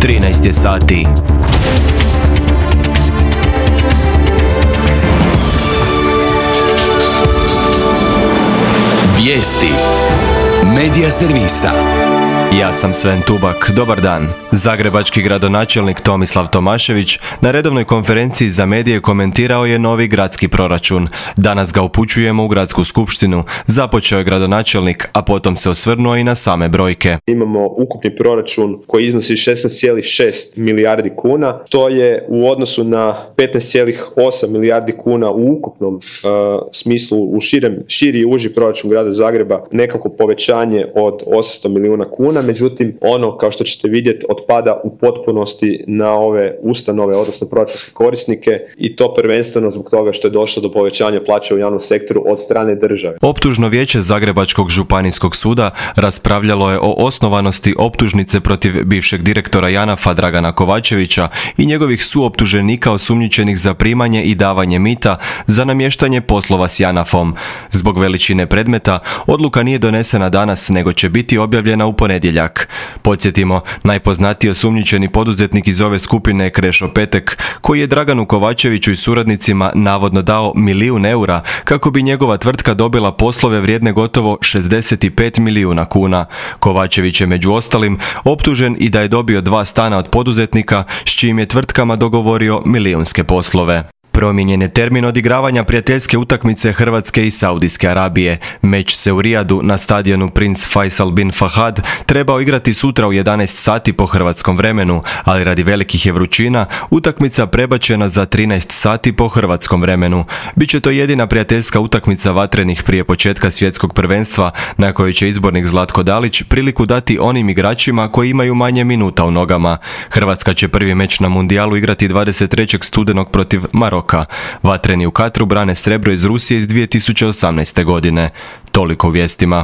13 je sati. Vijesti Medija servisa. Ja sam Sven Tubak, dobar dan. Zagrebački gradonačelnik Tomislav Tomašević na redovnoj konferenciji za medije komentirao je novi gradski proračun. Danas ga upućujemo u gradsku skupštinu. Započeo je gradonačelnik, a potom se osvrnuo i na same brojke. Imamo ukupni proračun koji iznosi 16,6 milijardi kuna. To je u odnosu na 15,8 milijardi kuna u ukupnom smislu, u širi i uži proračun grada Zagreba, nekako povećanje od 800 milijuna kuna. Međutim, ono, kao što ćete vidjeti, otpada u potpunosti na ove ustanove, odnosno proračunske korisnike, i to prvenstveno zbog toga što je došlo do povećanja plaća u javnom sektoru od strane države. Optužno vijeće Zagrebačkog županijskog suda raspravljalo je o osnovanosti optužnice protiv bivšeg direktora JANAF-a Dragana Kovačevića i njegovih suoptuženika osumnjičenih za primanje i davanje mita za namještanje poslova s JANAF-om. Zbog veličine predmeta, odluka nije donesena danas, nego će biti objavljena u ponedjeljak. Podsjetimo, najpoznatiji osumnjičeni poduzetnik iz ove skupine je Krešo Petek, koji je Draganu Kovačeviću i suradnicima navodno dao 1 milijun eura kako bi njegova tvrtka dobila poslove vrijedne gotovo 65 milijuna kuna. Kovačević je među ostalim optužen i da je dobio 2 stana od poduzetnika s čijim je tvrtkama dogovorio milijunske poslove. Promijenjen je termin odigravanja prijateljske utakmice Hrvatske i Saudijske Arabije. Meč se u Rijadu na stadionu Prince Faisal bin Fahad trebao igrati sutra u 11 sati po hrvatskom vremenu, ali radi velikih je vrućina utakmica prebačena za 13 sati po hrvatskom vremenu. Biće to jedina prijateljska utakmica vatrenih prije početka svjetskog prvenstva, na kojoj će izbornik Zlatko Dalić priliku dati onim igračima koji imaju manje minuta u nogama. Hrvatska će prvi meč na mundijalu igrati 23. studenog protiv Maroka. Vatreni u Katru brane srebro iz Rusije iz 2018. godine. Toliko u vijestima.